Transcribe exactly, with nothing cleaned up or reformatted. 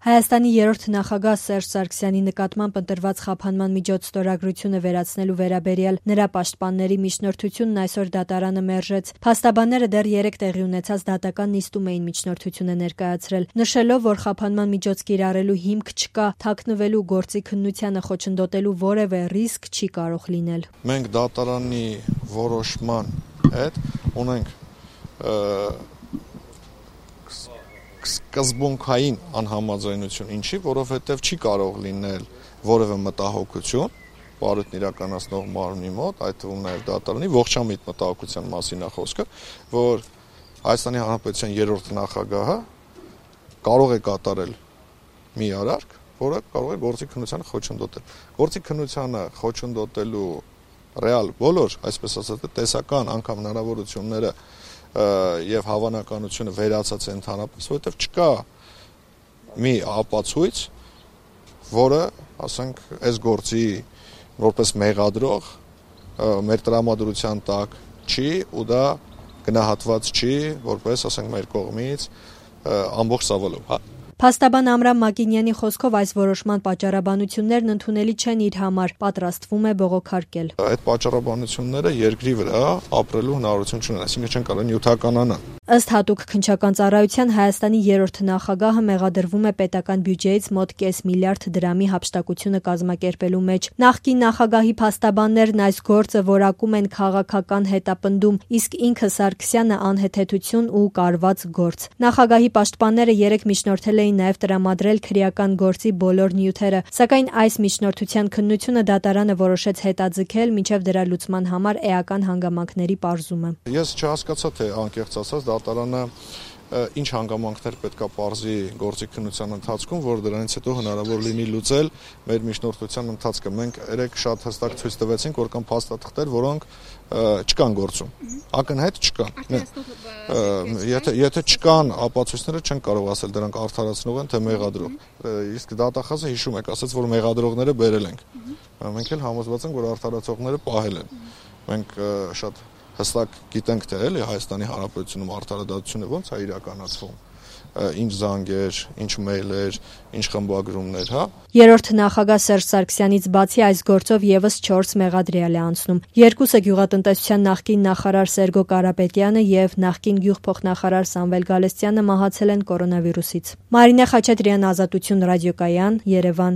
Հայաստանի երրորդ նախագահ Սերժ Սարգսյանի նկատմամբ ընտրված խափանման միջոց ստորագրությունը վերացնելու վերաբերյալ նրա պաշտպանների միջնորդությունն այսօր դատարանը մերժեց։ Փաստաբանները դեռ երեկ տեղի ունեցած դատական նիստում էին միջնորդությունը ներկայացրել, նշելով, որ խափանման միջոց կիրառելու հիմք չկա, թաքնվելու գործի քննությանը խոչընդոտելու որևէ ռիսկ չի կարող լինել։ Մենք դատարանի որոշման հետ ունենք սկզբունքային անհամաձայնություն, ինչի, որովհետև չի կարող լինել որևէ մտահոգություն բարույթն իրականացնող մարմնի մոտ, այդ թվում նաև դատարանի ողջամիտ մտահոգության մասին է խոսքը, որ Հայաստանի Հանրապետության երրորդ նախագահը կարող է կատարել մի արարք, որը կարող է գործի քննությանը խոչընդոտել։ Գործի քննությանը խոչընդոտելու ռեալ բոլոր, այսպես ասած, տեսական անգամ հնարավորությունները եւ հավանականությունը վերացած է ընդհանրապես, որովհետեւ չկա մի ապացույց, որը, ասենք, այս գործի որպես մեղադրող մեր տրամադրության տակ չի ու դա գնահատված չի, որպես, ասենք, մեր կողմից ամբողջ ծավալով, հա։ Փաստաբան Ամրամ Մակինյանի խոսքով այս որոշման պատճառաբանություններն ընդունելի չեն իր համար, պատրաստվում է բողոքարկել։ Այդ պատճառաբանությունները երկրի վրա ապրելու հնարավորություն չունեն, այսինքն չեն կարող նյութականանալ։ Ըստ հատուկ քննչական ծառայության Հայաստանի երրորդ նախագահը մեղադրվում է պետական բյուջեից մոտ կես միլիարդ դրամի հափշտակությունը կազմակերպելու մեջ։ Նախկին նախագահի փաստաբաններն այս գործը որակում են քաղաքական հետապնդում, իսկ ինքը Սարգսյանը անհեթեթություն ու կարված գործ։ Նախագահի պաշտպանները երեք միջնորդել էին նաև տրամադրել քրեական գործի բոլոր նյութերը, սակայն այս միջնորդության քննությունը դատարանը որոշեց հետաձգել մինչև դրա լուծման համար էական հանգամանքների պարզումը։ Ես չհասկացա, թե անկեղծ ասած դատարանը ինչ հանգամանքներ պետքա պարզի գործի քննության ընթացքում, որ դրանից հետո հնարավոր լինի լուծել մեր միջնորդության ընթացքը։ Մենք երեք շատ հստակ ցույց տվեցինք, որ կան փաստաթղթեր, որոնք չկան գործում։ Ակնհայտ չկան։ Եթե եթե չկան ապացույցները, չեն կարող ասել դրանք արդարացնող են, թե մեղադրող։ Իսկ դատախազը հիշում եք, ասաց, որ մեղադրողները բերել ենք։ Մենք էլ համոզված ենք, որ արդարացողները պահել են։ Մենք շատ հստակ գիտենք, թե էլի Հայաստանի Հանրապետությունում արդարադատությունը ոնց է իրականացվում, ինչ զանգեր, ինչ մեյլեր, ինչ խմբագրումներ, հա։ Երրորդ նախագահ Սերժ Սարգսյանից բացի այս գործով եւս չորս մեղադրյալ է անցնում։ Երկուսը գյուղատնտեսության նախկին նախարար Սերգո Կարապետյանը եւ նախկին գյուղփոխնախարար Սամվել Գալստյանը մահացել են կորոնավիրուսից։ Մարինե Խաչատրյան, Ազատություն ռադիոկայան, Երևան։